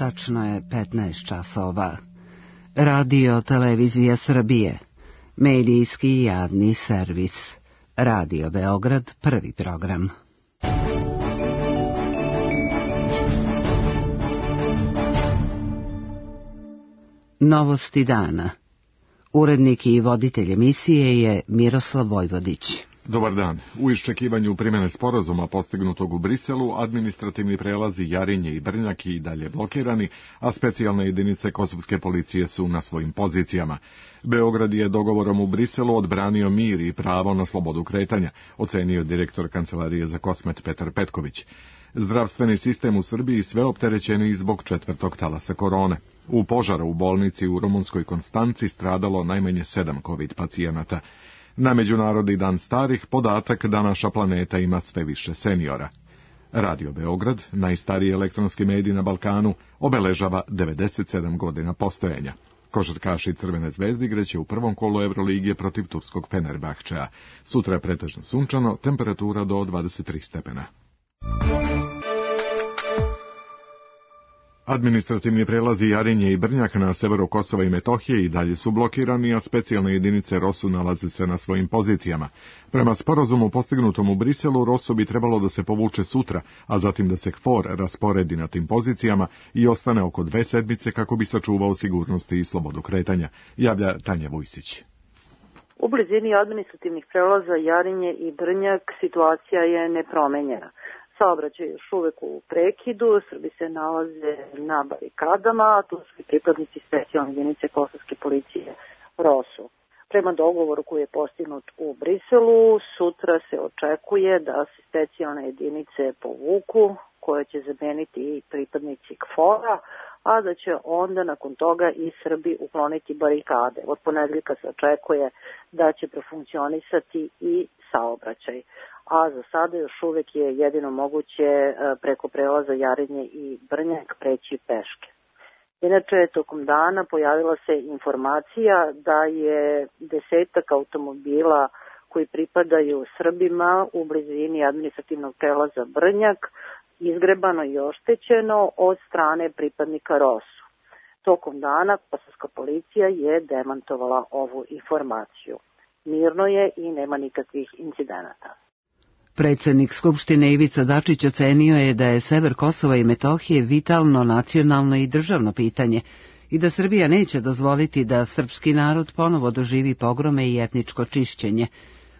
Tačno je 15 časova. Radio Televizija Srbije. Medijski javni servis. Radio Beograd, prvi program. Novosti dana. Urednik i voditelj emisije je Miroslav Vojvodić. Dobar dan. U iščekivanju primjene sporazuma postignutog u Briselu, administrativni prelazi Jarinje i Brnjak i dalje blokirani, a specijalne jedinice kosovske policije su na svojim pozicijama. Beograd je dogovorom u Briselu odbranio mir i pravo na slobodu kretanja, ocenio direktor Kancelarije za Kosmet Petar Petković. Zdravstveni sistem u Srbiji sve opterećeniji zbog 4. talasa korone. U požaru u bolnici u Rumunskoj Konstanci stradalo najmanje 7 COVID pacijenata. Na Međunarodni dan starih podatak da naša planeta ima sve više seniora. Radio Beograd, najstariji elektronski medij na Balkanu, obeležava 97 godina postojanja. Košarkaši Crvene zvezde igraće u prvom kolu Evroligije protiv turskog Fenerbahčea. Sutra je pretežno sunčano, temperatura do 23 stepena. Administrativni prelazi Jarinje i Brnjak na severu Kosova i Metohije i dalje su blokirani, a specijalne jedinice ROSU nalaze se na svojim pozicijama. Prema sporazumu postignutom u Briselu, ROSU bi trebalo da se povuče sutra, a zatim da se KFOR rasporedi na tim pozicijama i ostane oko 2 sedmice kako bi sačuvao sigurnost i slobodu kretanja, javlja Tanja Vujsić. U blizini administrativnih prelaza Jarinje i Brnjak situacija je nepromenjena. Saobraćaj je još uvek u prekidu, Srbi se nalaze na barikadama, a tu su i pripadnici specijalne jedinice kosovske policije ROSU. Prema dogovoru koji je postignut u Briselu, sutra se očekuje da se specijalne jedinice povuku, koje će zameniti i pripadnici KFOR-a, a da će onda nakon toga i Srbi ukloniti barikade. Od ponedeljka se očekuje da će profunkcionisati i saobraćaj. A za sada još uvek je jedino moguće preko prelaza Jarinje i Brnjak preći peške. Inače, tokom dana pojavila se informacija da je 10 automobila koji pripadaju Srbima u blizini administrativnog prelaza Brnjak izgrebano i oštećeno od strane pripadnika ROSU. Tokom dana kosovska policija je demantovala ovu informaciju. Mirno je i nema nikakvih incidenata. Predsjednik Skupštine Ivica Dačić ocenio je da je sever Kosova i Metohije vitalno nacionalno i državno pitanje i da Srbija neće dozvoliti da srpski narod ponovo doživi pogrome i etničko čišćenje.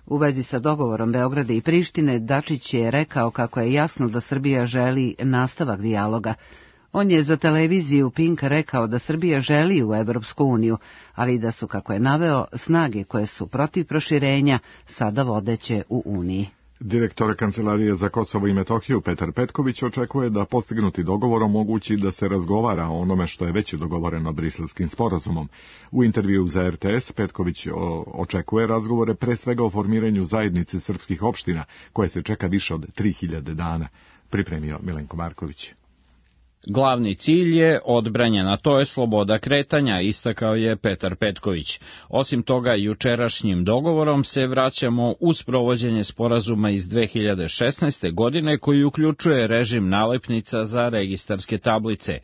U vezi sa dogovorom Beograda i Prištine, Dačić je rekao kako je jasno da Srbija želi nastavak dijaloga. On je za televiziju Pink rekao da Srbija želi u Evropsku uniju, ali da su, kako je naveo, snage koje su protiv proširenja sada vodeće u Uniji. Direktor Kancelarije za Kosovo i Metohiju Petar Petković očekuje da postignuti dogovor omogući da se razgovara o onome što je već dogovoreno Briselskim sporazumom. U intervju za RTS Petković očekuje razgovore pre svega o formiranju zajednice srpskih opština, koje se čeka više od 3000 dana, pripremio Milenko Marković. Glavni cilj je odbranjena, to je sloboda kretanja, istakao je Petar Petković. Osim toga, jučerašnjim dogovorom se vraćamo u sprovođenje sporazuma iz 2016. godine koji uključuje režim nalepnica za registarske tablice.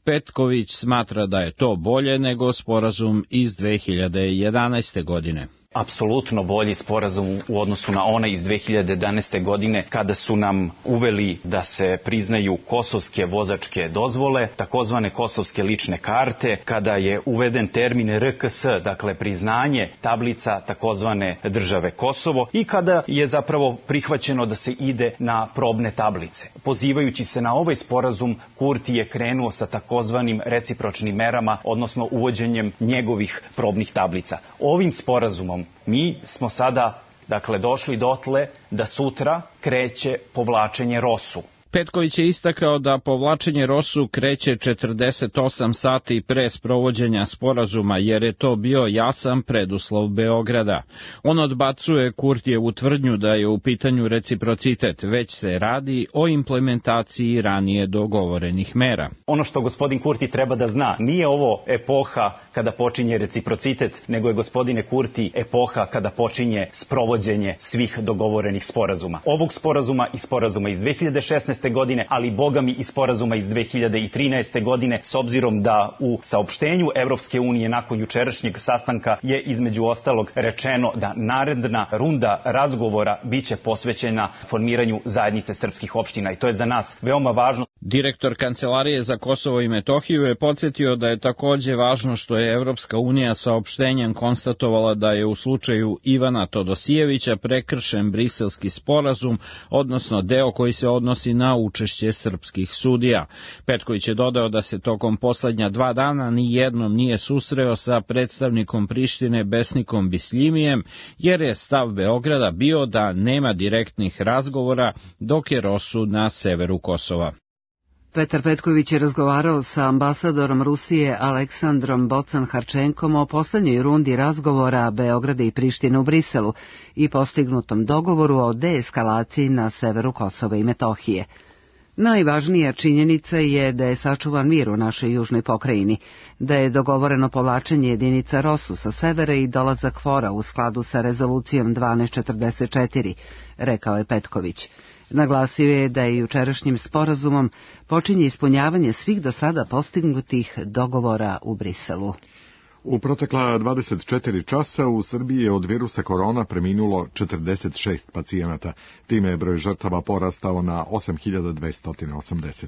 Petković smatra da je to bolje nego sporazum iz 2011. godine. Apsolutno bolji sporazum u odnosu na onaj iz 2011. godine kada su nam uveli da se priznaju kosovske vozačke dozvole, takozvane kosovske lične karte, kada je uveden termin RKS, dakle priznanje tablica takozvane države Kosovo i kada je zapravo prihvaćeno da se ide na probne tablice. Pozivajući se na ovaj sporazum, Kurti je krenuo sa takozvanim recipročnim merama, odnosno uvođenjem njegovih probnih tablica. Ovim sporazumom mi smo sada, došli dotle da sutra kreće povlačenje ROSU. Petković je istakao da povlačenje ROSU kreće 48 sati pre sprovođenja sporazuma, jer je to bio jasan preduslov Beograda. On odbacuje Kurtijevu tvrdnju da je u pitanju reciprocitet, već se radi o implementaciji ranije dogovorenih mera. Ono što gospodin Kurti treba da zna, nije ovo epoha kada počinje reciprocitet, nego je, gospodine Kurti, epoha kada počinje sprovođenje svih dogovorenih sporazuma. Ovog sporazuma i sporazuma iz 2016. 2014. godine, ali bogami i sporazuma iz 2013. godine, s obzirom da u saopštenju Evropske unije nakon jučerašnjeg sastanka je između ostalog rečeno da naredna runda razgovora biće posvećena formiranju zajednice srpskih opština i to je za nas veoma važno. Direktor Kancelarije za Kosovo i Metohiju je podsjetio da je takođe važno što je Evropska unija saopštenjem konstatovala da je u slučaju Ivana Todosijevića prekršen Briselski sporazum, odnosno deo koji se odnosi na učešće srpskih sudija. Petković je dodao da se tokom poslednja 2 dana ni jednom nije susreo sa predstavnikom Prištine Besnikom Bislimijem, jer je stav Beograda bio da nema direktnih razgovora dok je Rosu na severu Kosova. Petar Petković je razgovarao sa ambasadorom Rusije Aleksandrom Bocan-Harčenkom o poslednjoj rundi razgovora Beograda i Prištine u Briselu i postignutom dogovoru o deeskalaciji na severu Kosova i Metohije. Najvažnija činjenica je da je sačuvan mir u našoj južnoj pokrajini, da je dogovoreno povlačenje jedinica Rosu sa severa i dolazak KFOR-a u skladu sa rezolucijom 1244, rekao je Petković. Naglasio je da je jučerašnjim sporazumom počinje ispunjavanje svih do sada postignutih dogovora u Briselu. U protekla 24 časa u Srbiji je od virusa korona preminulo 46 pacijenata. Time je broj žrtava porastao na 8.280.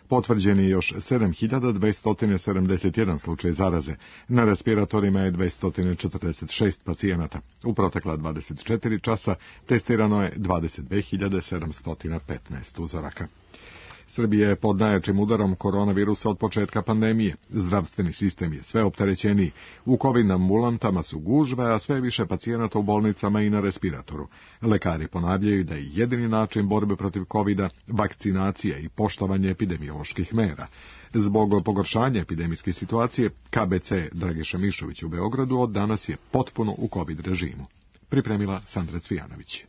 Potvrđen je još 7.271 slučaj zaraze. Na respiratorima je 246 pacijenata. U protekla 24 časa testirano je 22.715 uzoraka. Srbija je pod najjačim udarom koronavirusa od početka pandemije. Zdravstveni sistem je sve opterećeniji. U COVID ambulantama su gužve, a sve više pacijenata u bolnicama i na respiratoru. Lekari ponavljaju da je jedini način borbe protiv COVID-a vakcinacija i poštovanje epidemioloških mera. Zbog pogoršanja epidemijske situacije, KBC Dragiša Mišović u Beogradu od danas je potpuno u COVID režimu. Pripremila Sandra Cvijanović.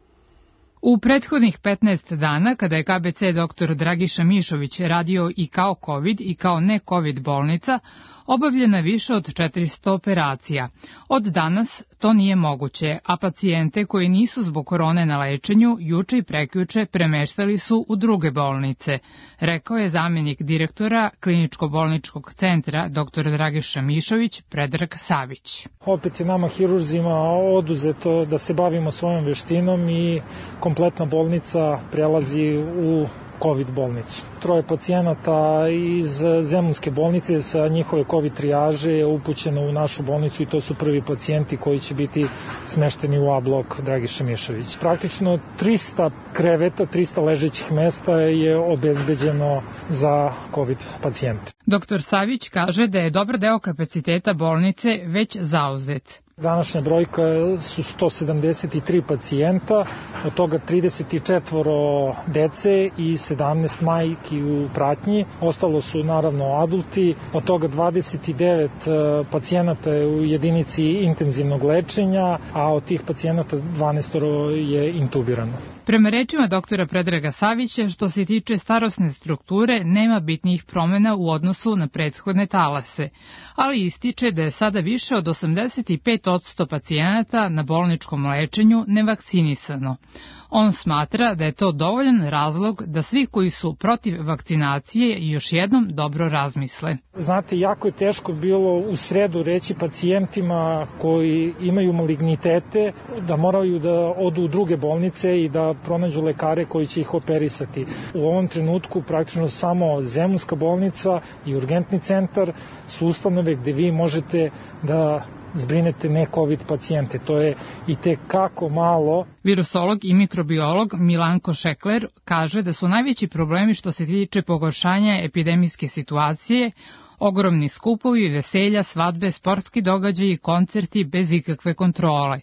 U prethodnih 15 dana, kada je KBC dr. Dragiša Mišović radio i kao COVID i kao ne-COVID bolnica, obavljena više od 400 operacija. Od danas to nije moguće, a pacijente koji nisu zbog korone na lečenju juče i prekjuče premeštali su u druge bolnice, rekao je zamjenik direktora Kliničko-bolničkog centra dr. Dragiša Mišović Predrag Savić. Opet je nama hirurzima oduzeto da se bavimo svojom veštinom i kompletna bolnica prelazi u COVID bolnicu. 3 pacijenata iz Zemunske bolnice sa njihove COVID trijaže je upućeno u našu bolnicu i to su prvi pacijenti koji će biti smešteni u A blok Dragiša Mišović. Praktično 300 kreveta, 300 ležećih mesta je obezbeđeno za COVID pacijente. Dr. Savić kaže da je dobar deo kapaciteta bolnice već zauzet. Današnja brojka su 173 pacijenta, od toga 34 dece i 17 majki u pratnji. Ostalo su naravno adulti, od toga 29 pacijenata je u jedinici intenzivnog lečenja, a od tih pacijenata 12 je intubirano. Prema rečima doktora Predraga Savića, što se tiče starosne strukture, nema bitnijih promjena u odnosu na prethodne talase, ali ističe da je sada više od 85% pacijenata na bolničkom lečenju nevakcinisano. On smatra da je to dovoljan razlog da svi koji su protiv vakcinacije još jednom dobro razmisle. Znate, jako je teško bilo u sredu reći pacijentima koji imaju malignitete da moraju da odu u druge bolnice i da pronađu lekare koji će ih operisati. U ovom trenutku praktično samo Zemunska bolnica i urgentni centar su ustanove gde vi možete da zbrinete ne-COVID pacijente. To je i tekako malo. Virusolog i mikrobiolog Milanko Šekler kaže da su najveći problemi što se tiče pogoršanja epidemijske situacije ogromni skupovi, veselja, svadbe, sportski događaji i koncerti bez ikakve kontrole.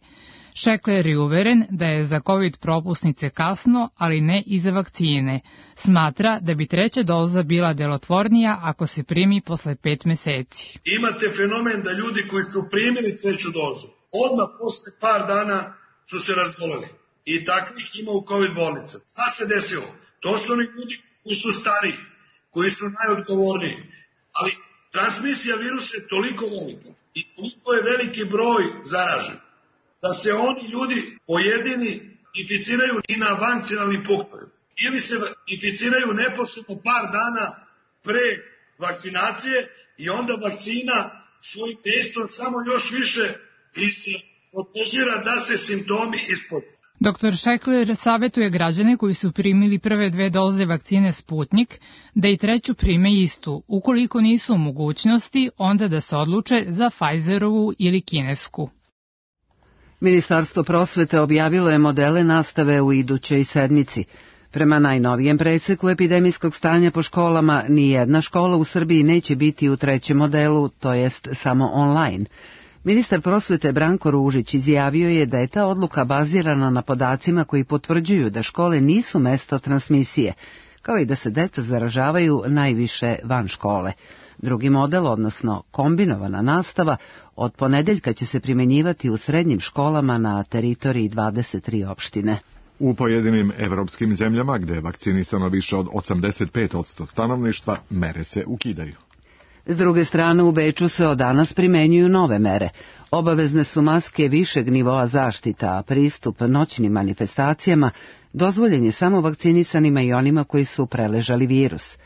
Šekler je uveren da je za COVID propusnice kasno, ali ne i za vakcine. Smatra da bi 3. doza bila delotvornija ako se primi posle 5 meseci. Imate fenomen da ljudi koji su primili 3. dozu, odmah posle par dana su se razboleli. I takvih ima u COVID bolnicama. Šta se desilo? To su oni ljudi koji su stariji, koji su najodgovorniji. Ali transmisija virusa je toliko velika i toliko je veliki broj zaražen, da se oni ljudi pojedini inficiraju i na vancinalnim punktovima. ili se inficiraju neposredno par dana pre vakcinacije i onda vakcina svojim dejstvom samo još više otežira da se simptomi ispode. Dr. Šekler savjetuje građane koji su primili prve 2 doze vakcine Sputnik da i 3. prime istu. Ukoliko nisu u mogućnosti, onda da se odluče za Pfizerovu ili kinesku. Ministarstvo prosvete objavilo je modele nastave u idućoj sedmici. Prema najnovijem preseku epidemijskog stanja po školama, ni jedna škola u Srbiji neće biti u 3. modelu, to jest samo online. Ministar prosvete Branko Ružić izjavio je da je ta odluka bazirana na podacima koji potvrđuju da škole nisu mesto transmisije, kao i da se deca zaražavaju najviše van škole. Drugi model, odnosno kombinovana nastava, od ponedeljka će se primenjivati u srednjim školama na teritoriji 23 opštine. U pojedinim evropskim zemljama, gde je vakcinisano više od 85% stanovništva, mere se ukidaju. S druge strane, u Beču se od danas primenjuju nove mere. Obavezne su maske višeg nivoa zaštita, a pristup noćnim manifestacijama dozvoljen je samo vakcinisanima i onima koji su preležali virus.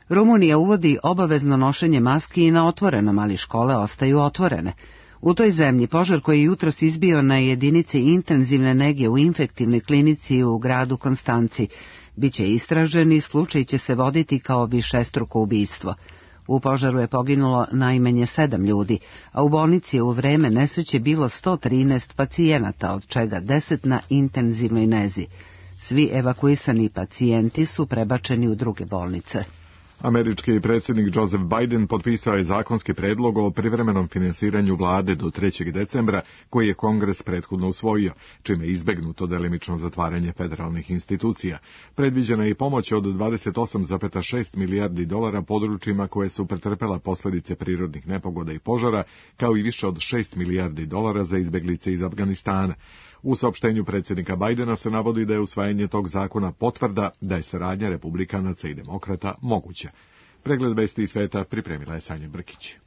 Rumunija uvodi obavezno nošenje maski i na otvorenom, ali škole ostaju otvorene. U toj zemlji požar koji je jutros izbio na jedinici intenzivne nege u infektivnoj klinici u gradu Konstanci biće istražen i slučaj će se voditi kao višestruko ubistvo. U požaru je poginulo najmanje 7 ljudi, a u bolnici je u vreme nesreće bilo 113 pacijenata, od čega 10 na intenzivnoj nezi. Svi evakuisani pacijenti su prebačeni u druge bolnice. Američki predsjednik Joseph Biden potpisao je zakonski predlog o privremenom finansiranju vlade do 3. decembra, koji je Kongres prethodno usvojio, čime je izbegnuto delimično zatvaranje federalnih institucija. Predviđena je i pomoć od 28,6 milijardi dolara područjima koje su pretrpela posljedice prirodnih nepogoda i požara, kao i više od 6 milijardi dolara za izbeglice iz Afganistana. U saopštenju predsjednika Bajdena se navodi da je usvajanje tog zakona potvrda da je saradnja republikanaca i demokrata moguća. Pregled vesti iz sveta pripremila je Sanja Brkić.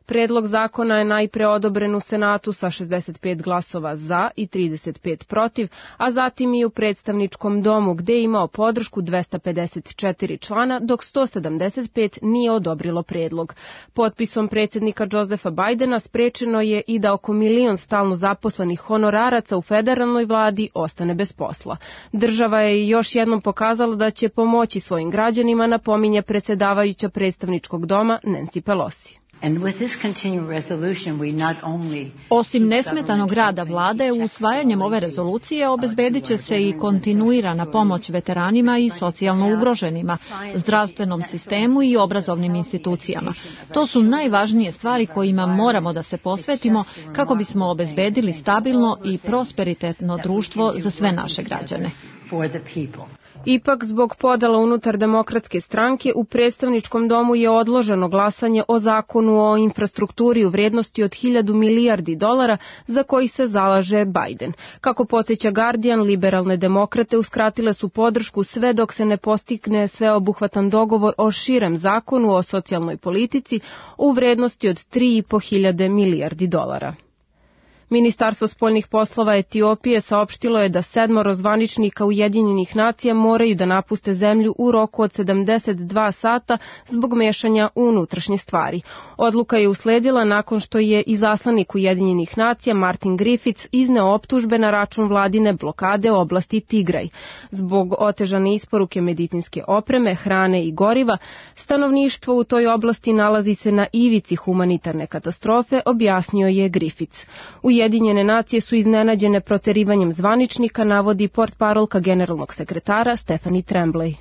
Predlog zakona je najpre odobren u Senatu sa 65 glasova za i 35 protiv, a zatim i u predstavničkom domu gde je imao podršku 254 člana, dok 175 nije odobrilo predlog. Potpisom predsjednika Josepha Bajdena sprečeno je i da oko 1 milion stalno zaposlenih honoraraca u federalnoj vladi ostane bez posla. Država je još jednom pokazala da će pomoći svojim građanima, napominje predsjedavajuća predstavničkog doma Nancy Pelosi. Osim nesmetanog rada vlade, usvajanjem ove rezolucije obezbedit će se i kontinuirana pomoć veteranima i socijalno ugroženima, zdravstvenom sistemu i obrazovnim institucijama. To su najvažnije stvari kojima moramo da se posvetimo kako bismo obezbedili stabilno i prosperitetno društvo za sve naše građane. Ipak, zbog podela unutar demokratske stranke, u predstavničkom domu je odloženo glasanje o zakonu o infrastrukturi u vrednosti od 1000 milijardi dolara za koji se zalaže Biden. Kako podsjeća Guardian, liberalne demokrate uskratile su podršku sve dok se ne postigne sveobuhvatan dogovor o širem zakonu o socijalnoj politici u vrednosti od 3.500 milijardi dolara. Ministarstvo spoljnih poslova Etiopije saopštilo je da 7 zvaničnika Ujedinjenih nacija moraju da napuste zemlju u roku od 72 sata zbog mešanja u unutrašnje stvari. Odluka je usledila nakon što je izaslanik Ujedinjenih nacija Martin Griffiths izneo optužbe na račun vladine blokade oblasti Tigraj. Zbog otežane isporuke medicinske opreme, hrane i goriva, stanovništvo u toj oblasti nalazi se na ivici humanitarne katastrofe, objasnio je Griffiths. Ujedinjene nacije su iznenađene proterivanjem zvaničnika, navodi portparolka generalnog sekretara Stephanie Tremblay.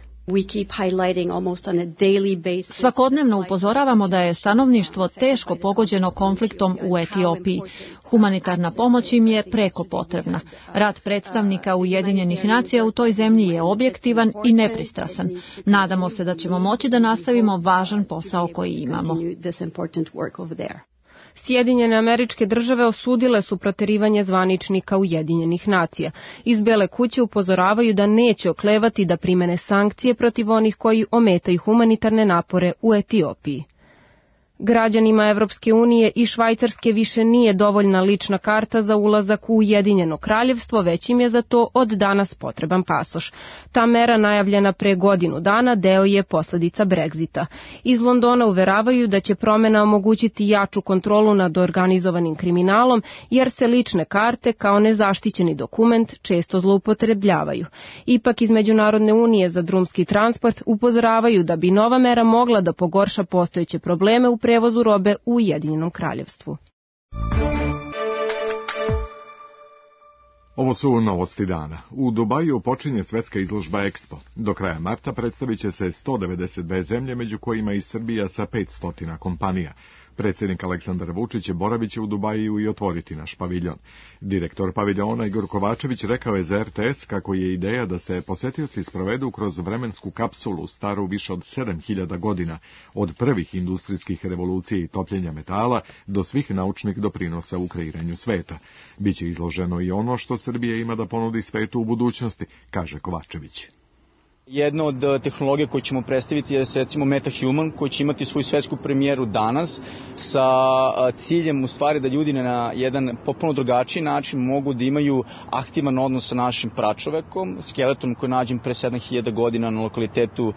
Svakodnevno upozoravamo da je stanovništvo teško pogođeno konfliktom u Etiopiji. Humanitarna pomoć im je preko potrebna. Rad predstavnika Ujedinjenih nacija u toj zemlji je objektivan i nepristrasan. Nadamo se da ćemo moći da nastavimo važan posao koji imamo. Sjedinjene Američke Države osudile su proterivanje zvaničnika Ujedinjenih nacija. Iz Bele kuće upozoravaju da neće oklevati da primene sankcije protiv onih koji ometaju humanitarne napore u Etiopiji. Građanima Evropske unije i Švajcarske više nije dovoljna lična karta za ulazak u Ujedinjeno kraljevstvo, već im je za to od danas potreban pasoš. Ta mera, najavljena pre godinu dana, deo je posledica Brexita. Iz Londona uveravaju da će promena omogućiti jaču kontrolu nad organizovanim kriminalom, jer se lične karte kao nezaštićeni dokument često zloupotrebljavaju. Ipak iz Međunarodne unije za drumski transport upozoravaju da bi nova mera mogla da pogorša postojeće probleme u prevozu robe u Ujedinjenom kraljevstvu. Ovo su novosti dana. U Dubaju počinje svetska izložba Expo. Do kraja marta predstavit će se 192 zemlje, među kojima i Srbija sa 500 kompanija. Predsjednik Aleksandar Vučić boravit će u Dubaju i otvoriti naš paviljon. Direktor paviljona Igor Kovačević rekao je za RTS kako je ideja da se posetioci sprovedu kroz vremensku kapsulu staru više od 7000 godina, od prvih industrijskih revolucija i topljenja metala do svih naučnih doprinosa u kreiranju sveta. Biće izloženo i ono što Srbija ima da ponudi svetu u budućnosti, kaže Kovačević. Jedna od tehnologija koju ćemo predstaviti je recimo MetaHuman, koji će imati svoju svetsku premijeru danas sa ciljem u stvari da ljudi na jedan potpuno drugačiji način mogu da imaju aktivan odnos sa našim pračovekom, skeletom koji je nađen pre 7000 godina na lokalitetu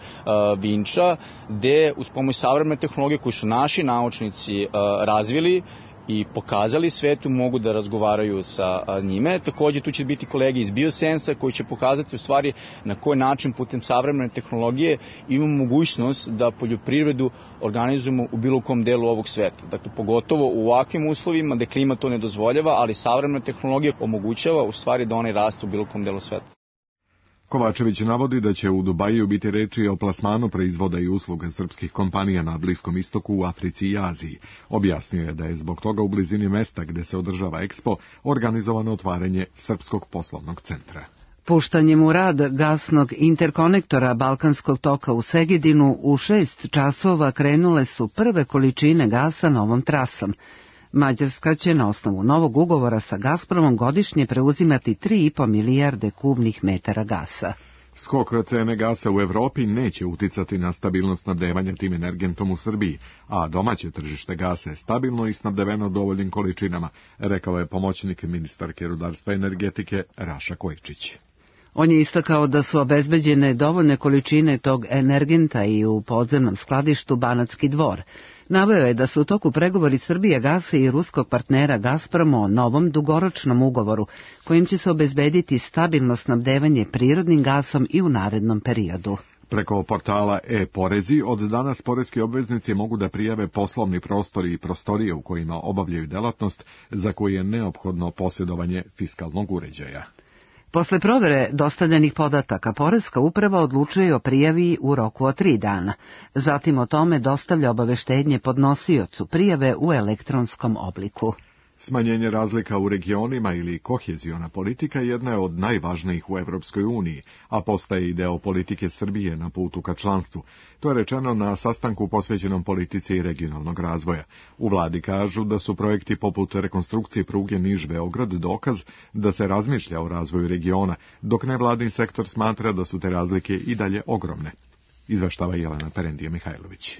Vinča, gde uz pomoć savremene tehnologije koju su naši naučnici razvili i pokazali svetu, mogu da razgovaraju sa njime. Također tu će biti kolege iz Biosensa koji će pokazati u stvari na koji način putem savremene tehnologije imamo mogućnost da poljoprivredu organizujemo u bilo kom delu ovog sveta. Dakle, pogotovo u ovakvim uslovima gde klima to ne dozvoljava, ali savremena tehnologija omogućava u stvari da one rastu u bilo kom delu sveta. Kovačević navodi da će u Dubaju biti reči o plasmanu proizvoda i usluga srpskih kompanija na Bliskom istoku, u Africi i Aziji. Objasnio je da je zbog toga u blizini mesta gde se održava Expo organizovano otvaranje Srpskog poslovnog centra. Puštanjem u rad gasnog interkonektora Balkanskog toka u Segedinu u 6 časova krenule su prve količine gasa novom trasom. Mađarska će na osnovu novog ugovora sa Gazpromom godišnje preuzimati 3,5 milijarde kubnih metara gasa. Skok cene gasa u Evropi neće uticati na stabilnost snabdevanja tim energentom u Srbiji, a domaće tržište gasa je stabilno i snabdeveno dovoljnim količinama, rekao je pomoćnik ministarke rudarstva i energetike Raša Kojičić. On je istakao da su obezbeđene dovoljne količine tog energenta i u podzemnom skladištu Banatski Dvor. Naveo je da su u toku pregovori Srbije gasa i ruskog partnera Gazprom o novom dugoročnom ugovoru, kojim će se obezbediti stabilno snabdevanje prirodnim gasom i u narednom periodu. Preko portala e-porezi od danas poreski obveznici mogu da prijave poslovni prostori i prostorije u kojima obavljaju delatnost za koju je neophodno posjedovanje fiskalnog uređaja. Posle provere dostavljenih podataka, Poreska uprava odlučuje o prijavi u roku od 3 dana. Zatim o tome dostavlja obaveštenje podnosiocu prijave u elektronskom obliku. Smanjenje razlika u regionima ili koheziona politika jedna je od najvažnijih u Evropskoj uniji, a postaje i deo politike Srbije na putu ka članstvu. To je rečeno na sastanku posvećenom politici i regionalnog razvoja. U vladi kažu da su projekti poput rekonstrukcije pruge Niš-Beograd dokaz da se razmišlja o razvoju regiona, dok nevladin sektor smatra da su te razlike i dalje ogromne. Izveštava Jelena Perendije-Mihajlović.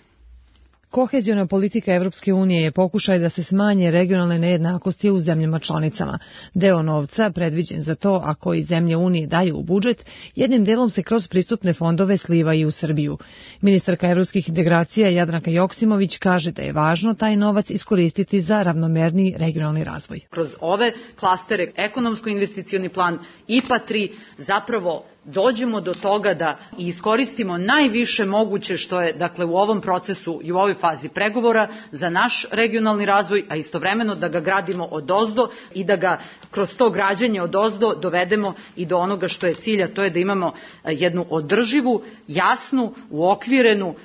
Koheziona politika Evropske unije je pokušaj da se smanje regionalne nejednakosti u zemljama članicama. Deo novca, predviđen za to, a koji zemlje Unije daju u budžet, jednim delom se kroz pristupne fondove sliva i u Srbiju. Ministarka evropskih integracija Jadranka Joksimović kaže da je važno taj novac iskoristiti za ravnomerniji regionalni razvoj. Kroz ove klastere, ekonomsko-investicioni plan, IPA 3, zapravo dođemo do toga da iskoristimo najviše moguće što je, dakle, u ovom procesu i u ovoj fazi pregovora za naš regionalni razvoj, a istovremeno da ga gradimo odozdo i da ga kroz to građenje odozdo dovedemo i do onoga što je cilj, a to je da imamo jednu održivu, jasnu, uokvirenu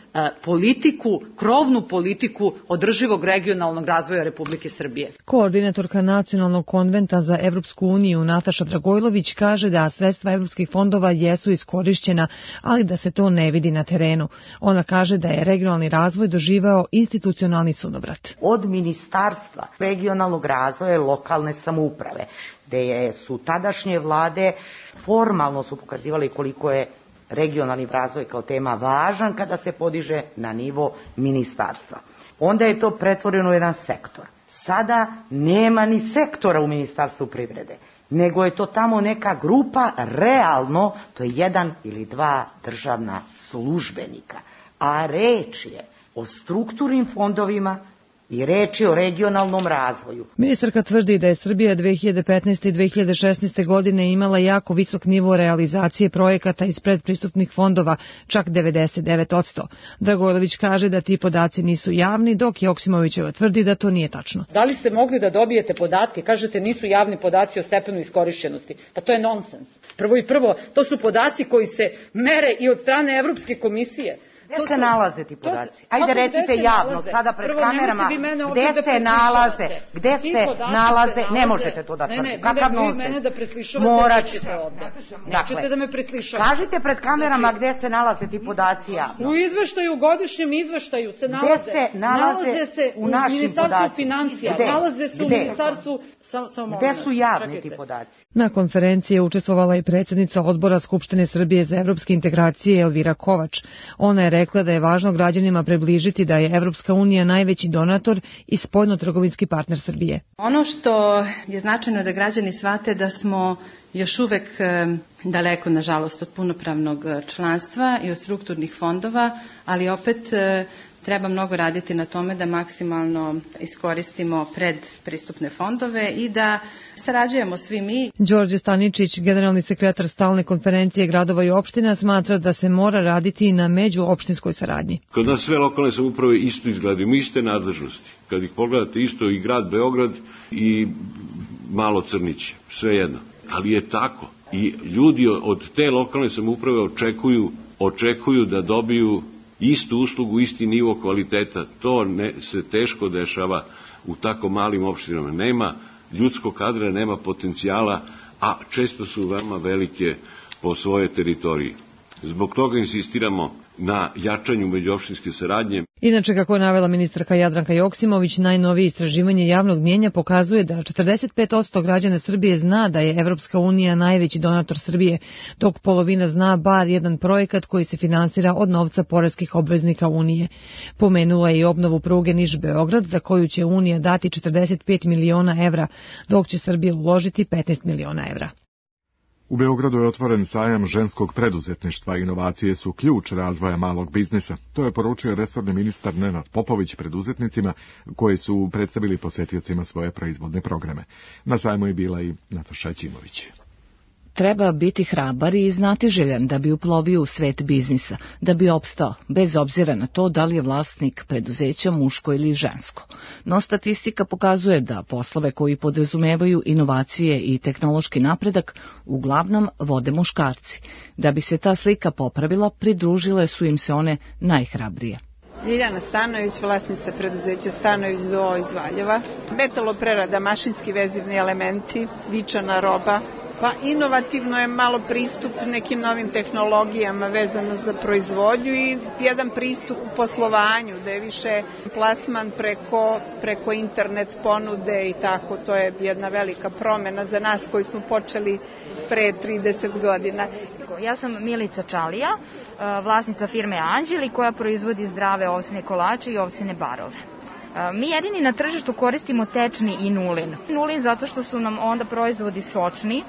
politiku, krovnu politiku održivog regionalnog razvoja Republike Srbije. Koordinatorka Nacionalnog konventa za Evropsku uniju Nataša Dragojlović kaže da sredstva evropskih fondova jesu iskorišćena, ali da se to ne vidi na terenu. Ona kaže da je regionalni razvoj doživao institucionalni sunovrat. Od Ministarstva regionalnog razvoja i lokalne samouprave, gde su tadašnje vlade formalno su pokazivali koliko je regionalni razvoj kao tema važan kada se podiže na nivo ministarstva. Onda je to pretvoreno u jedan sektor. Sada nema ni sektora u Ministarstvu privrede, nego je to tamo neka grupa, realno, to je 1 ili 2 državna službenika. A reč je o strukturnim fondovima i reč je o regionalnom razvoju. Ministarka tvrdi da je Srbija 2015. i 2016. godine imala jako visok nivo realizacije projekata iz predpristupnih fondova, čak 99%. Dragojlović kaže da ti podaci nisu javni, dok Joksimovićeva tvrdi da to nije tačno. Da li ste mogli da dobijete podatke? Kažete nisu javni podaci o stepenu iskorišćenosti. Pa to je nonsens. Prvo, to su podaci koji se mere i od strane Evropske komisije. Gde se nalaze ti podaci? Ajde recite javno, sada pred kamerama, gde se nalaze, ne možete to da tvrdite. Kakav nonsens? Morat ćete ovde. Nećete da me preslišavate. Kažite pred kamerama gde se nalaze ti podaci javno. U izveštaju, godišnjem izveštaju se nalaze se u Ministarstvu financija, nalaze se u Ministarstvu... Gde su javni ti podaci? Na konferenciji je učestvovala i predsjednica Odbora Skupštine Srbije za evropske integracije Elvira Kovač. Ona je rekla da je važno građanima približiti da je Evropska unija najveći donator i spoljno-trgovinski partner Srbije. Ono što je značajno da građani shvate da smo još uvek daleko, nažalost, od punopravnog članstva i od strukturnih fondova, ali opet treba mnogo raditi na tome da maksimalno iskoristimo predpristupne fondove i da sarađujemo svi mi. Đorđe Staničić, generalni sekretar stalne konferencije gradova i opština, smatra da se mora raditi i na međuopštinskoj saradnji. Kod nas sve lokalne samouprave isto izgledaju, iste nadležnosti. Kad ih pogledate, isto i grad Beograd i malo Crnić, sve jedno. Ali je tako. I ljudi od te lokalne samouprave očekuju da dobiju istu uslugu, isti nivo kvaliteta. To se teško dešava u tako malim opštinama. Nema ljudskog kadra, nema potencijala, a često su veoma velike po svojoj teritoriji. Zbog toga insistiramo na jačanju međuopštinske saradnje. Inače, kako je navela ministarka Jadranka Joksimović, najnovije istraživanje javnog mnjenja pokazuje da 45% građana Srbije zna da je Evropska unija najveći donator Srbije, dok polovina zna bar jedan projekat koji se finansira od novca poreskih obveznika Unije. Pomenula je i obnovu pruge Niš-Beograd, za koju će Unija dati 45 miliona evra, dok će Srbija uložiti 15 miliona evra. U Beogradu je otvoren sajam ženskog preduzetništva. Inovacije su ključ razvoja malog biznisa. To je poručio resorni ministar Nenad Popović preduzetnicima koji su predstavili posetiocima svoje proizvodne programe. Na sajmu je bila i Nataša Ćimović. Treba biti hrabar i znatiželjan da bi uplovio u svet biznisa, da bi opstao, bez obzira na to da li je vlasnik preduzeća muško ili žensko. No statistika pokazuje da poslove koji podrazumevaju inovacije i tehnološki napredak uglavnom vode muškarci. Da bi se ta slika popravila, pridružile su im se one najhrabrije. Ljiljana Stanović, vlasnica preduzeća Stanović do iz Valjeva. Metaloprerada, mašinski vezivni elementi, vičana roba. Pa inovativno je malo pristup nekim novim tehnologijama vezano za proizvodnju i jedan pristup u poslovanju, da je više plasman preko internet ponude i tako. To je jedna velika promjena za nas koji smo počeli pre 30 godina. Ja sam Milica Čalija, vlasnica firme Anđeli koja proizvodi zdrave ovsine kolače i ovsine barove. Mi jedini na tržištu koristimo tečni i nulin. Nulin zato što su nam onda proizvodi sočni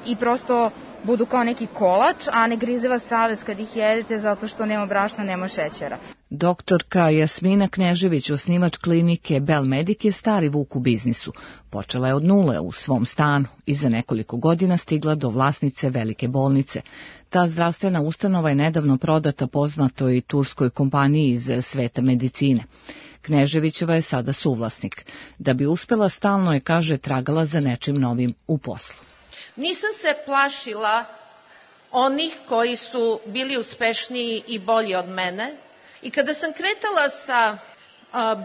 i prosto budu kao neki kolač, a ne grize vas savest kad ih jedete zato što nema brašna, nema šećera. Doktorka Jasmina Knežević, osnivač klinike Belmedik, je stari vuk u biznisu. Počela je od nule u svom stanu i za nekoliko godina stigla do vlasnice velike bolnice. Ta zdravstvena ustanova je nedavno prodata poznatoj turskoj kompaniji iz sveta medicine. Kneževićeva je sada suvlasnik. Da bi uspela, stalno je, kaže, tragala za nečim novim u poslu. Nisam se plašila onih koji su bili uspešniji i bolji od mene. I kada sam kretala sa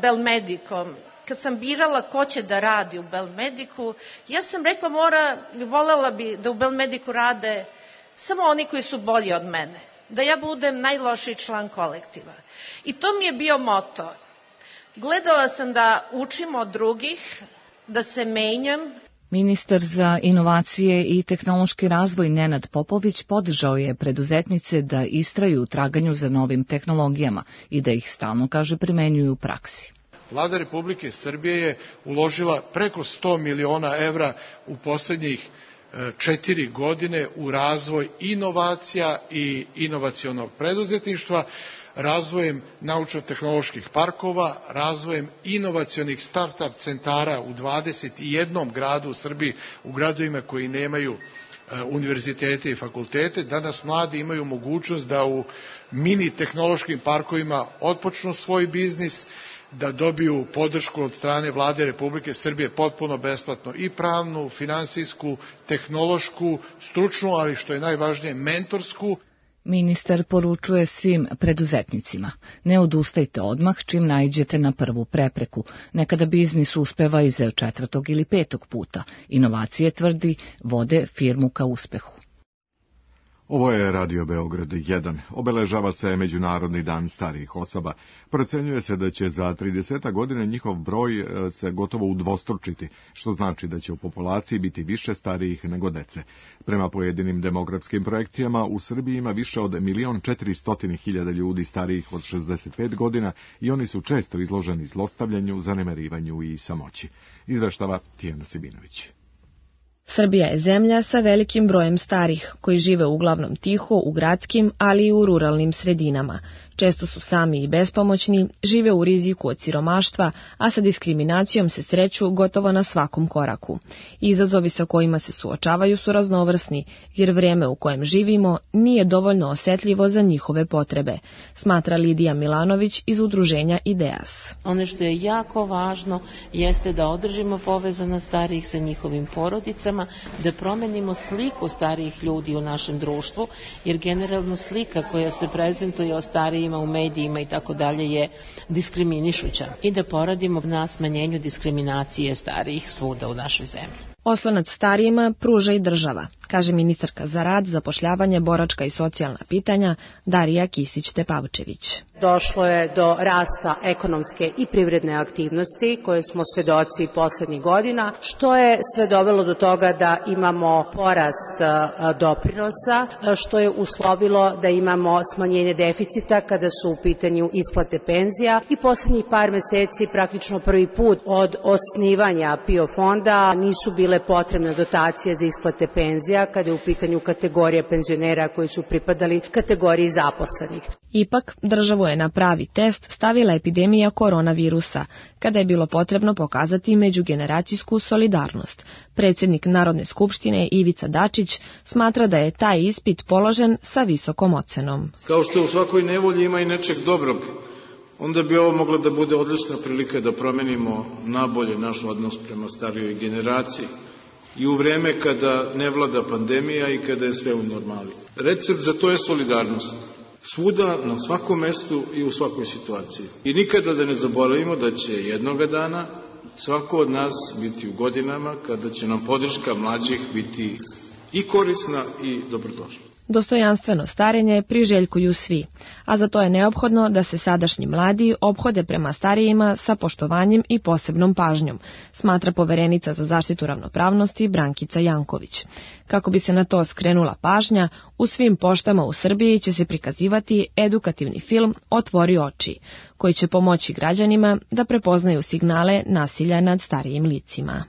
Belmedikom, kad sam birala ko će da radi u Belmediku, ja sam rekla volela bi da u Belmediku rade samo oni koji su bolji od mene. Da ja budem najlošiji član kolektiva. I to mi je bio moto. Gledala sam da učim od drugih, da se menjam. Ministar za inovacije i tehnološki razvoj Nenad Popović podržao je preduzetnice da istraju u traganju za novim tehnologijama i da ih stalno, kaže, primenjuju u praksi. Vlada Republike Srbije je uložila preko 100 miliona evra u poslednjih 4 godine u razvoj inovacija i inovacionog preduzetništva, razvojem naučno-tehnoloških parkova, razvojem inovacionih start-up centara u 21 gradu u Srbiji, u gradovima koji nemaju univerzitete i fakultete. Danas mladi imaju mogućnost da u mini tehnološkim parkovima otpočnu svoj biznis, da dobiju podršku od strane Vlade Republike Srbije potpuno besplatno i pravnu, finansijsku, tehnološku, stručnu, ali što je najvažnije mentorsku. Ministar poručuje svim preduzetnicima: ne odustajte odmah čim naiđete na prvu prepreku. Nekada biznis uspeva iz 4. ili 5. puta. Inovacije, tvrdi, vode firmu ka uspehu. Ovo je Radio Beograd 1. Obeležava se Međunarodni dan starijih osoba. Procenjuje se da će za 30 godina njihov broj se gotovo udvostručiti, što znači da će u populaciji biti više starijih nego dece. Prema pojedinim demografskim projekcijama, u Srbiji ima više od 1.400.000 ljudi starijih od 65 godina i oni su često izloženi zlostavljanju, zanemarivanju i samoći. Izveštava Tijana Sibinović. Srbija je zemlja sa velikim brojem starih, koji žive uglavnom tiho u gradskim, ali i u ruralnim sredinama. Često su sami i bespomoćni, žive u riziku od siromaštva, a sa diskriminacijom se sreću gotovo na svakom koraku. Izazovi sa kojima se suočavaju su raznovrsni, jer vrijeme u kojem živimo nije dovoljno osetljivo za njihove potrebe, smatra Lidija Milanović iz udruženja Ideas. Ono što je jako važno jeste da održimo povezanost starijih sa njihovim porodicama, da promenimo sliku starijih ljudi u našem društvu, jer generalno slika koja se prezentuje o starijima u medijima i tako dalje je diskriminišuća i da poradimo na smanjenju diskriminacije starijih svuda u našoj zemlji. Oslonac starijima pruža i država, kaže ministarka za rad, zapošljavanje, boračka i socijalna pitanja Darija Kisić-Tepavčević. Došlo je do rasta ekonomske i privredne aktivnosti koje smo svedoci poslednjih godina, što je sve dovelo do toga da imamo porast doprinosa, što je uslovilo da imamo smanjenje deficita kada su u pitanju isplate penzija i poslednjih par meseci praktično prvi put od osnivanja PIO fonda nisu bile potrebne dotacije za isplate penzija kada je u pitanju kategorija penzionera koji su pripadali kategoriji zaposlenih. Ipak, državu je na pravi test stavila epidemija koronavirusa, kada je bilo potrebno pokazati međugeneracijsku solidarnost. Predsjednik Narodne skupštine Ivica Dačić smatra da je taj ispit položen sa visokom ocenom. Kao što u svakoj nevolji ima i nečeg dobrog, onda bi ovo moglo da bude odlična prilika da promenimo nabolje naš odnos prema starijoj generaciji i u vreme kada ne vlada pandemija i kada je sve u normali. Recept za to je solidarnost. Svuda, na svakom mestu i u svakoj situaciji. I nikada da ne zaboravimo da će jednoga dana svako od nas biti u godinama kada će nam podrška mlađih biti i korisna i dobrodošla. Dostojanstveno starenje priželjkuju svi, a za to je neophodno da se sadašnji mladi ophode prema starijima sa poštovanjem i posebnom pažnjom, smatra poverenica za zaštitu ravnopravnosti Brankica Janković. Kako bi se na to skrenula pažnja, u svim poštama u Srbiji će se prikazivati edukativni film Otvori oči, koji će pomoći građanima da prepoznaju signale nasilja nad starijim licima.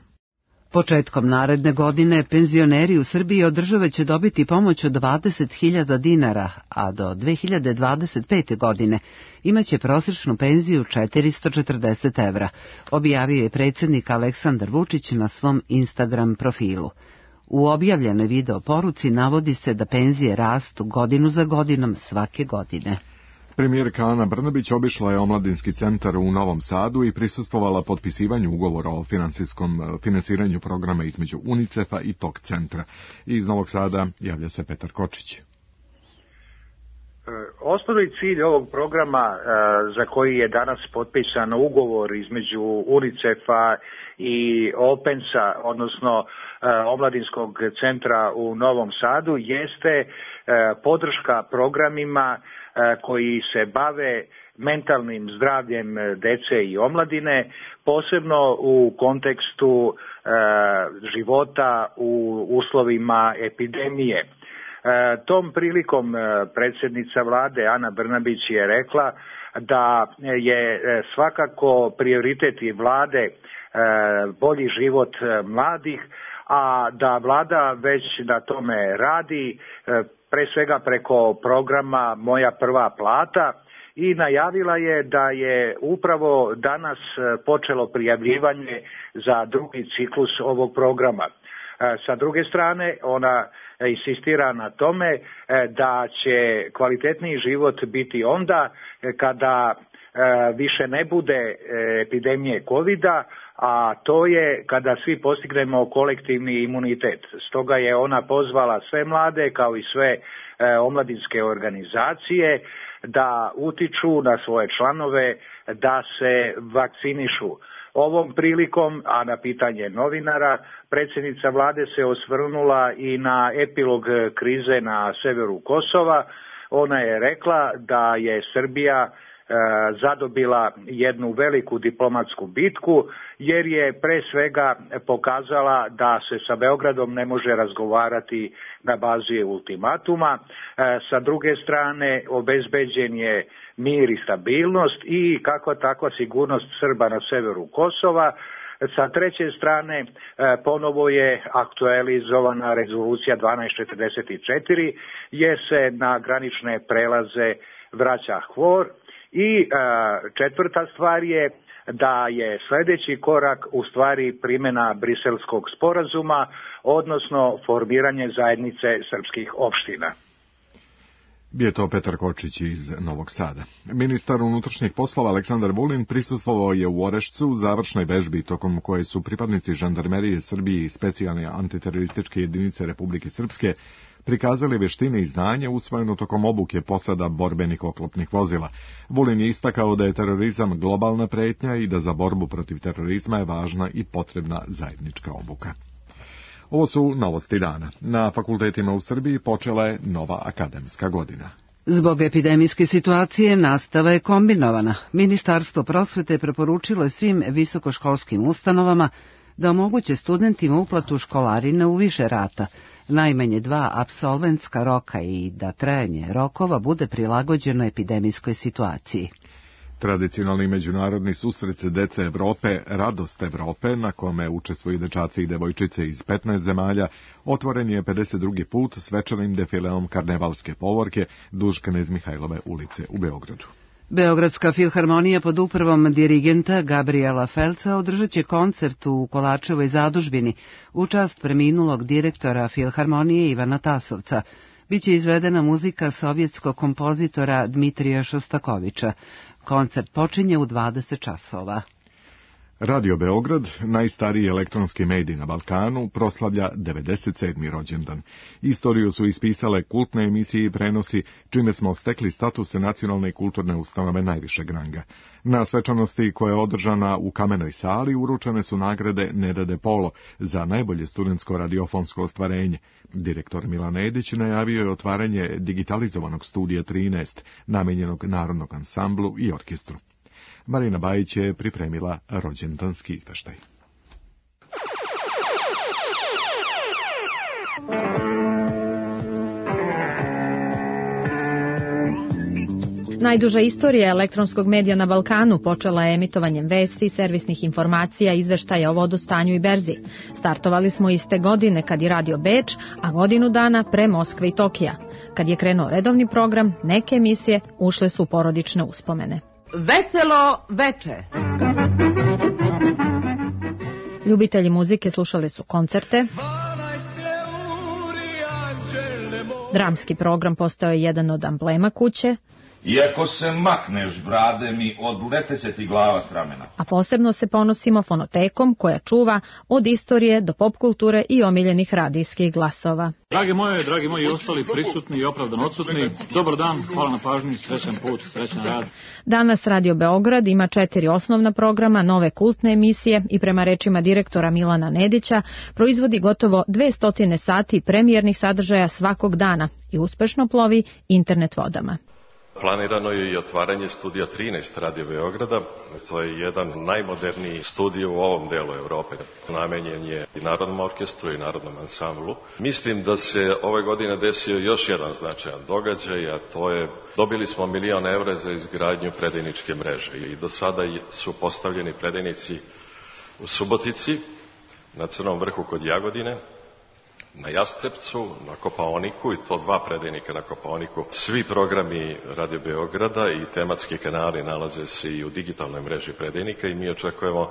Početkom naredne godine penzioneri u Srbiji od države će dobiti pomoć od 20.000 dinara, a do 2025. godine imaće prosječnu penziju 440 evra, objavio je predsjednik Aleksandar Vučić na svom Instagram profilu. U objavljenoj video poruci navodi se da penzije rastu godinu za godinom svake godine. Premijerka Ana Brnabić obišla je omladinski centar u Novom Sadu i prisustvovala potpisivanju ugovora o finansiranju programa između UNICEF-a i tog centra. Iz Novog Sada javlja se Petar Kočić. Osnovni cilj ovog programa za koji je danas potpisan ugovor između UNICEF-a i OPENS-a, odnosno omladinskog centra u Novom Sadu, jeste podrška programima koji se bave mentalnim zdravljem dece i omladine, posebno u kontekstu života u uslovima epidemije. Tom prilikom predsjednica vlade Ana Brnabić je rekla da je svakako prioritet i vlade bolji život mladih, a da vlada već na tome radi, pre svega preko programa Moja prva plata, i najavila je da je upravo danas počelo prijavljivanje za drugi ciklus ovog programa. Sa druge strane, ona insistira na tome da će kvalitetniji život biti onda kada više ne bude epidemije covida, a to je kada svi postignemo kolektivni imunitet. Stoga je ona pozvala sve mlade kao i sve omladinske organizacije da utiču na svoje članove da se vakcinišu. Ovom prilikom, a na pitanje novinara, predsjednica vlade se osvrnula i na epilog krize na severu Kosova. Ona je rekla da je Srbija zadobila jednu veliku diplomatsku bitku, jer je pre svega pokazala da se sa Beogradom ne može razgovarati na bazi ultimatuma. Sa druge strane, obezbeđen je mir i stabilnost i kakva takva sigurnost Srba na severu Kosova. Sa treće strane, ponovo je aktualizovana rezolucija 1244, jer se na granične prelaze vraća HVOR. I četvrta stvar je da je sljedeći korak u stvari primjena Briselskog sporazuma, odnosno formiranje zajednice srpskih opština. Bio je to Petar Kočić iz Novog Sada. Ministar unutrašnjih poslova Aleksandar Vulin prisustvovao je u Orešcu završnoj vežbi tokom koje su pripadnici žandarmerije Srbije i specijalne antiterorističke jedinice Republike Srpske prikazali veštine i znanje usvojeno tokom obuke posada borbenih oklopnih vozila. Vulin je istakao da je terorizam globalna pretnja i da za borbu protiv terorizma je važna i potrebna zajednička obuka. Ovo su novosti dana. Na fakultetima u Srbiji počela je nova akademska godina. Zbog epidemijske situacije nastava je kombinovana. Ministarstvo prosvete preporučilo je svim visokoškolskim ustanovama da omoguće studentima uplatu školarine u više rata, najmanje 2 apsolventska roka i da trajanje rokova bude prilagođeno epidemijskoj situaciji. Tradicionalni međunarodni susret dece Evrope, Radost Evrope, na kome učestvuju dečaci i devojčice iz 15 zemalja, otvoren je 52. put svečanim defileom karnevalske povorke duž Knez Mihajlove ulice u Beogradu. Beogradska filharmonija pod upravom dirigenta Gabriela Felca održat će koncert u Kolačevoj zadužbini u čast preminulog direktora filharmonije Ivana Tasovca. Biće izvedena muzika sovjetskog kompozitora Dmitrija Šostakovića. Koncert počinje u 20 časova. Radio Beograd, najstariji elektronski medij na Balkanu, proslavlja 97. rođendan. Istoriju su ispisale kultne emisije i prenosi, čime smo stekli statuse nacionalne i kulturne ustanove najvišeg ranga. Na svečanosti koja je održana u Kamenoj sali uručene su nagrade Neda de Polo za najbolje studentsko radiofonsko ostvarenje. Direktor Milan Edić najavio je otvaranje digitalizovanog studija 13, namenjenog Narodnog ansamblu i orkestru. Marina Bajić je pripremila rođendanski izveštaj. Najduža istorija elektronskog medija na Balkanu počela je emitovanjem vesti, servisnih informacija, izveštaja o vodostanju i berzi. Startovali smo iste godine kad je radio Beč, a godinu dana pre Moskve i Tokija. Kad je krenuo redovni program, neke emisije ušle su u porodične uspomene. Veselo veče. Ljubitelji muzike slušali su koncerte. Dramski program postao je jedan od amblema kuće. Iako se makneš, brade mi, odlete se ti glava s ramena. A posebno se ponosimo fonotekom koja čuva od istorije do pop kulture i omiljenih radijskih glasova. Dragi moji ostali prisutni i opravdano odsutni, dobar dan, hvala na pažnji, srećan put, srećan rad. Danas Radio Beograd ima 4 osnovna programa, nove kultne emisije i prema rečima direktora Milana Nedića proizvodi gotovo 200 sati premijernih sadržaja svakog dana i uspešno plovi internet vodama. Planirano je i otvaranje studija 13 Radio Beograda. To je jedan najmoderniji studij u ovom delu Evrope. Namenjen je i Narodnom orkestru i Narodnom ansamblu. Mislim da se ove godine desio još jedan značajan događaj, a to je dobili smo 1 milion evra za izgradnju predajničke mreže. I do sada su postavljeni predajnici u Subotici, na Crnom vrhu kod Jagodine, na Jastrebcu, na Kopaoniku, i to 2 predajnika na Kopaoniku. Svi programi Radio Beograda i tematski kanali nalaze se i u digitalnoj mreži predajnika i mi očekujemo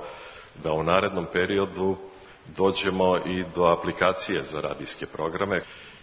da u narednom periodu dođemo i do aplikacije za radijske programe.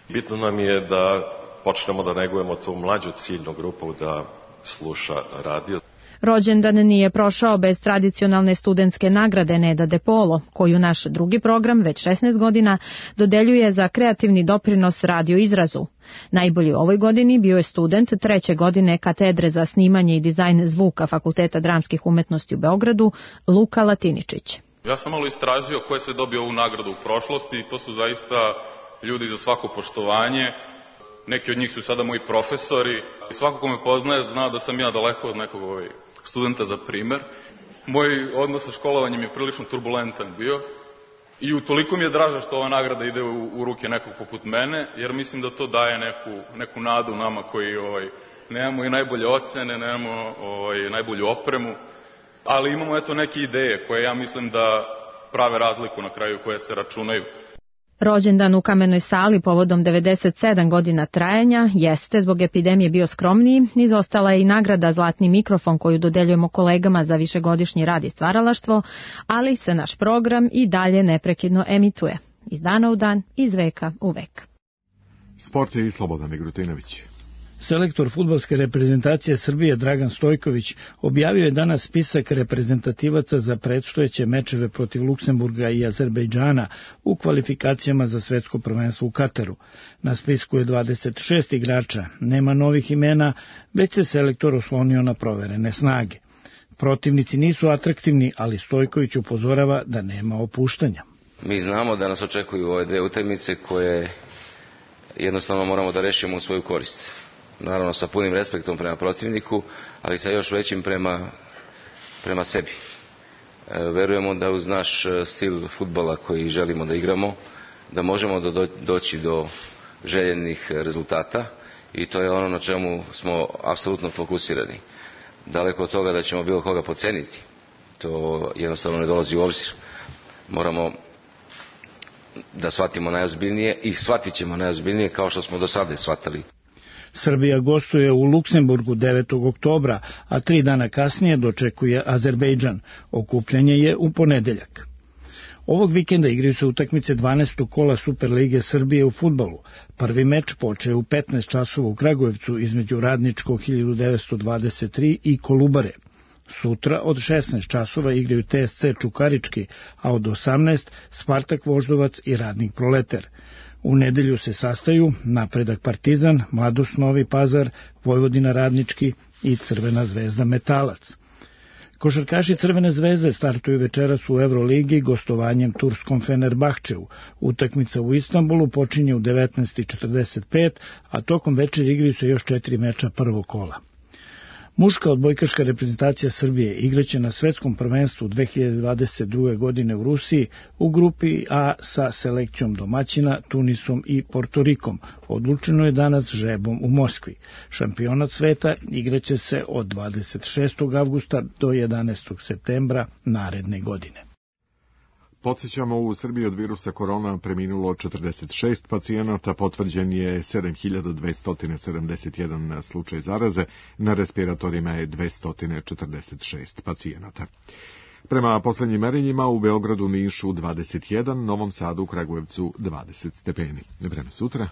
Bitno nam je da počnemo da negujemo tu mlađu ciljnu grupu da sluša radio. Rođendan nije prošao bez tradicionalne studentske nagrade Neda De Polo, koju naš drugi program već 16 godina dodeljuje za kreativni doprinos radio izrazu. Najbolji u ovoj godini bio je student 3. godine katedre za snimanje i dizajn zvuka Fakulteta dramskih umetnosti u Beogradu, Luka Latiničić. Ja sam malo istražio ko je sve dobio ovu nagradu u prošlosti i to su zaista ljudi za svako poštovanje. Neki od njih su sada moji profesori. Svako ko me poznaje zna da sam ja daleko od nekog studenta za primer. Moj odnos sa školovanjem je prilično turbulentan bio i utoliko mi je draže što ova nagrada ide u ruke nekog poput mene, jer mislim da to daje neku nadu nama koji nemamo i najbolje ocene, nemamo najbolju opremu, ali imamo neke ideje koje ja mislim da prave razliku na kraju, koje se računaju. Rođendan u Kamenoj sali povodom 97 godina trajanja jeste zbog epidemije bio skromniji, izostala je i nagrada Zlatni mikrofon koju dodeljujemo kolegama za višegodišnji rad i stvaralaštvo, ali se naš program i dalje neprekidno emituje. Iz dana u dan, iz veka u vek. Sport je i Slobodan Migrutinović. Selektor fudbalske reprezentacije Srbije Dragan Stojković objavio je danas spisak reprezentativaca za predstojeće mečeve protiv Luksemburga i Azerbejdžana u kvalifikacijama za svetsko prvenstvo u Kataru. Na spisku je 26 igrača, nema novih imena, već se selektor oslonio na proverene snage. Protivnici nisu atraktivni, ali Stojković upozorava da nema opuštanja. Mi znamo da nas očekuju ove 2 utakmice koje jednostavno moramo da rešimo u svoju korist. Naravno sa punim respektom prema protivniku, ali sa još većim prema sebi. Verujemo da uz naš stil fudbala koji želimo da igramo, da možemo doći do željenih rezultata i to je ono na čemu smo apsolutno fokusirani. Daleko od toga da ćemo bilo koga podceniti, to jednostavno ne dolazi u obzir. Moramo da shvatimo najozbiljnije i shvatit ćemo najozbiljnije kao što smo do sada shvatali. Srbija gostuje u Luksemburgu 9. oktobra, a 3 dana kasnije dočekuje Azerbejdžan. Okupljanje je u ponedeljak. Ovog vikenda igraju se utakmice 12. kola Superlige Srbije u fudbalu. Prvi meč počeo u 15 časova u Kragujevcu između Radničkog 1923 i Kolubare. Sutra od 16 časova igraju TSC Čukarički, a od 18 Spartak Voždovac i Radnik Proleter. U nedelju se sastaju Napredak Partizan, Mladost Novi Pazar, Vojvodina Radnički i Crvena zvezda Metalac. Košarkaši Crvene zvezde startuju večeras u Euroligi gostovanjem turskom Fenerbahčevu. Utakmica u Istanbulu počinje u 19:45, a tokom večeri igraju se još 4 meča prvog kola. Muška odbojkaška reprezentacija Srbije igraće na svetskom prvenstvu 2022. godine u Rusiji u grupi A sa selekcijom domaćina, Tunisom i Portorikom. Odlučeno je danas žrebom u Moskvi. Šampionat sveta igraće se od 26. avgusta do 11. septembra naredne godine. Podsjećamo, u Srbiji od virusa korona preminulo 46 pacijenata, potvrđen je 7271 slučaj zaraze, na respiratorima je 246 pacijenata. Prema poslednjim merenjima u Beogradu, Nišu 21, Novom Sadu, Kragujevcu 20 stepeni. Vreme sutra.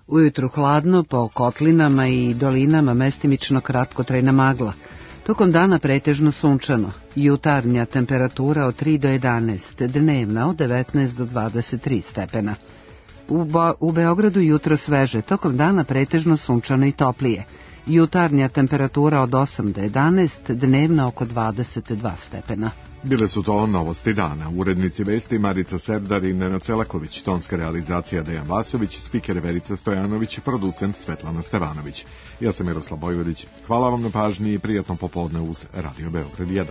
Ujutru hladno, po kotlinama i dolinama mestimično kratkotrajna magla. Tokom dana pretežno sunčano, jutarnja temperatura od 3 do 11, dnevna od 19 do 23 stepena. U Beogradu jutro sveže, tokom dana pretežno sunčano i toplije. Jutarnja temperatura od 8 do 11, dnevna oko 22 stepena. Bile su to novosti dana. Urednici vesti Marica Serdar i Nenad Celaković, tonska realizacija Dejan Vasović, spiker Verica Stojanović, producent Svetlana Stevanović. Ja sam Miroslav Bojvodić. Hvala vam na pažnji i prijatno popodne uz Radio Beograd 1.